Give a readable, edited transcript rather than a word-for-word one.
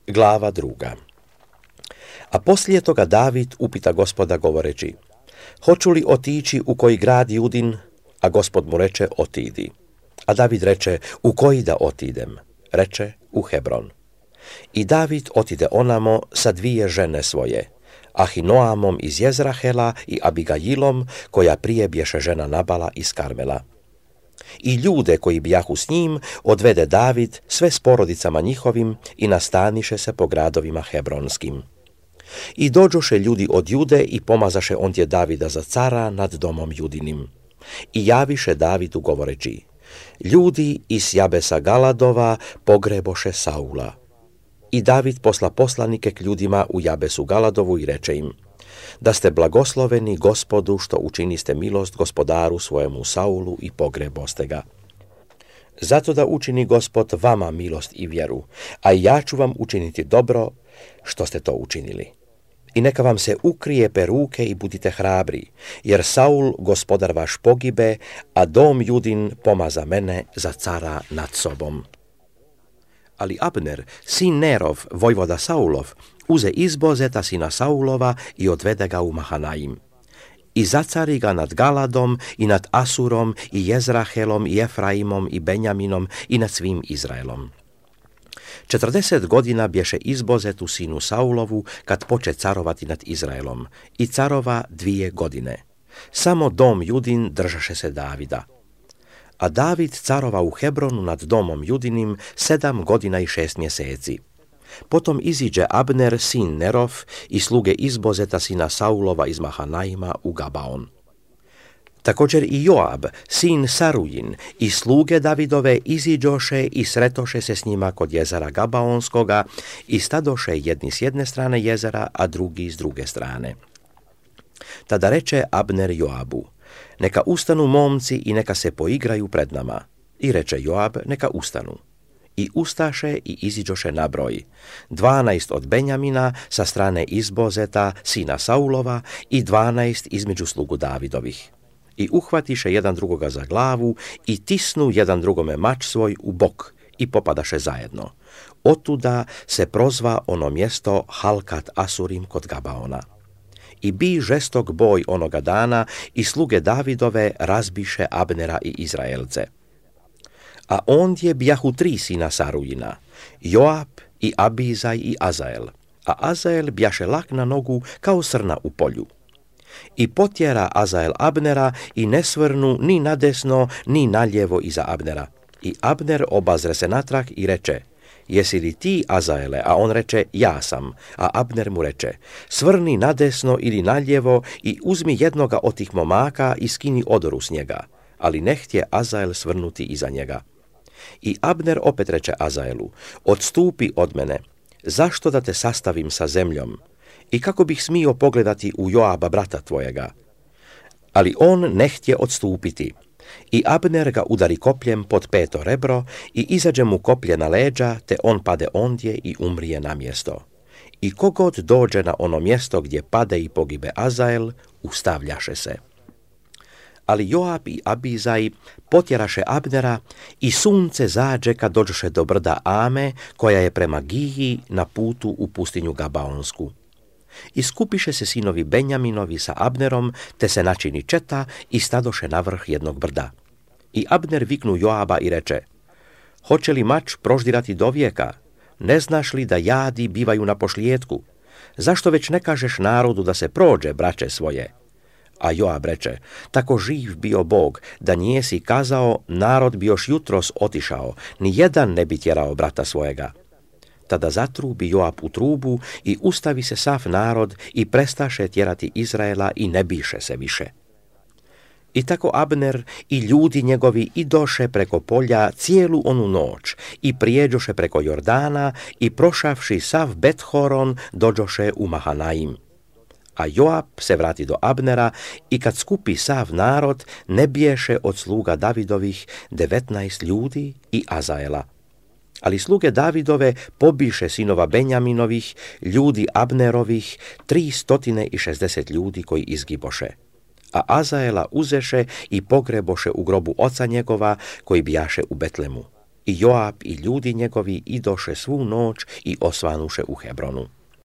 Glava 2. A poslije toga David upita Gospoda govoreći: hoću li otići u koji grad Judin? A Gospod mu reče: otidi. A David reče: u koji da otidem? Reče: u Hebron. I David otide onamo sa 2 žene svoje, Ahinoamom iz Jezrahela i Abigajilom, koja prije bješe žena Nabala iz Karmela. I ljude koji bijahu s njim odvede David sve s porodicama njihovim i nastaniše se po gradovima hebronskim. I dođoše ljudi od Jude i pomazaše ondje Davida za cara nad domom Judinim. I javiše Davidu govoreći: ljudi iz Jabesa Galadova pogreboše Saula. I David posla poslanike k ljudima u Jabesu Galadovu i reče im: da ste blagosloveni Gospodu što učiniste milost gospodaru svojemu Saulu i pogreboste ga. Zato da učini Gospod vama milost i vjeru, a ja ću vam učiniti dobro što ste to učinili. I neka vam se ukrije peruke i budite hrabri, jer Saul, gospodar vaš, pogibe, a dom Judin pomaza mene za cara nad sobom. Ali Abner, sin Nerov, vojvoda Saulov, uze Izbozeta sina Saulova i odvede ga u Mahanaim. I zacari ga nad Galadom i nad Asurom i Jezrahelom i Efraimom i Benjaminom i nad svim Izraelom. 40 godina bješe Izbozetu sinu Saulovu kad poče carovati nad Izraelom, i carova 2 godine. Samo dom Judin držaše se Davida. A David carova u Hebronu nad domom Judinim 7 godina i 6 mjeseci. Potom iziđe Abner, sin Nerov, i sluge Izbozeta sina Saulova iz Mahanaima u Gabaon. Također i Joab, sin Sarujin, i sluge Davidove iziđoše i sretoše se s njima kod jezera Gabaonskoga i stadoše jedni s jedne strane jezera, a drugi s druge strane. Tada reče Abner Joabu: neka ustanu momci i neka se poigraju pred nama. I reče Joab: neka ustanu. I ustaše i iziđoše na broj, 12 od Benjamina sa strane Izbozeta, sina Saulova, i 12 između slugu Davidovih. I uhvatiše jedan drugoga za glavu i tisnu jedan drugome mač svoj u bok i popadaše zajedno. Otuda se prozva ono mjesto Halkat Asurim kod Gabaona. I bi žestok boj onoga dana i sluge Davidove razbiše Abnera i Izraelce. A ondje bijahu 3 sina Sarujina, Joab i Abizaj i Azael, a Azael bjaše lak na nogu kao srna u polju. I potjera Azael Abnera i ne svrnu ni nadesno ni naljevo iza Abnera. I Abner obazre se natrag i reče: jesi li ti, Azaele? A on reče: ja sam. A Abner mu reče: svrni nadesno ili naljevo i uzmi jednoga od tih momaka i skini odoru s njega. Ali ne htje Azael svrnuti iza njega. I Abner opet reče Azaelu: odstupi od mene, zašto da te sastavim sa zemljom? I kako bih smio pogledati u Joaba brata tvojega? Ali on ne htje odstupiti. I Abner ga udari kopljem pod 5. rebro i izađe mu koplje na leđa, te on pade ondje i umrije na mjesto. I kogod dođe na ono mjesto gdje pade i pogibe Azael, ustavljaše se. Ali Joab i Abizaj potjeraše Abnera i sunce zađe kad dođoše do brda Ame, koja je prema Giji na putu u pustinju Gabaonsku. I skupiše se sinovi Benjaminovi sa Abnerom, te se načini četa i stadoše na vrh jednog brda. I Abner viknu Joaba i reče: hoće li mač proždirati do vijeka? Ne znaš li da jadi bivaju na pošlijetku? Zašto već ne kažeš narodu da se prođe, braće svoje? A Joab reče: tako živ bio Bog, da nijesi kazao, narod bi još jutros otišao, ni jedan ne bi tjerao brata svojega. Tada zatrubi Joab u trubu i ustavi se sav narod i prestaše tjerati Izraela i ne biše se više. I tako Abner i ljudi njegovi idoše preko polja cijelu onu noć i prijeđoše preko Jordana i prošavši sav Bet-horon dođoše u Mahanaim. A Joab se vrati do Abnera i kad skupi sav narod ne biješe od sluga Davidovih 19 ljudi i Azaela. Ali sluge Davidove pobiše sinova Benjaminovih, ljudi Abnerovih, 360 ljudi koji izgiboše. A Azaela uzeše i pogreboše u grobu oca njegova koji bijaše u Betlemu. I Joab i ljudi njegovi idoše svu noć i osvanuše u Hebronu.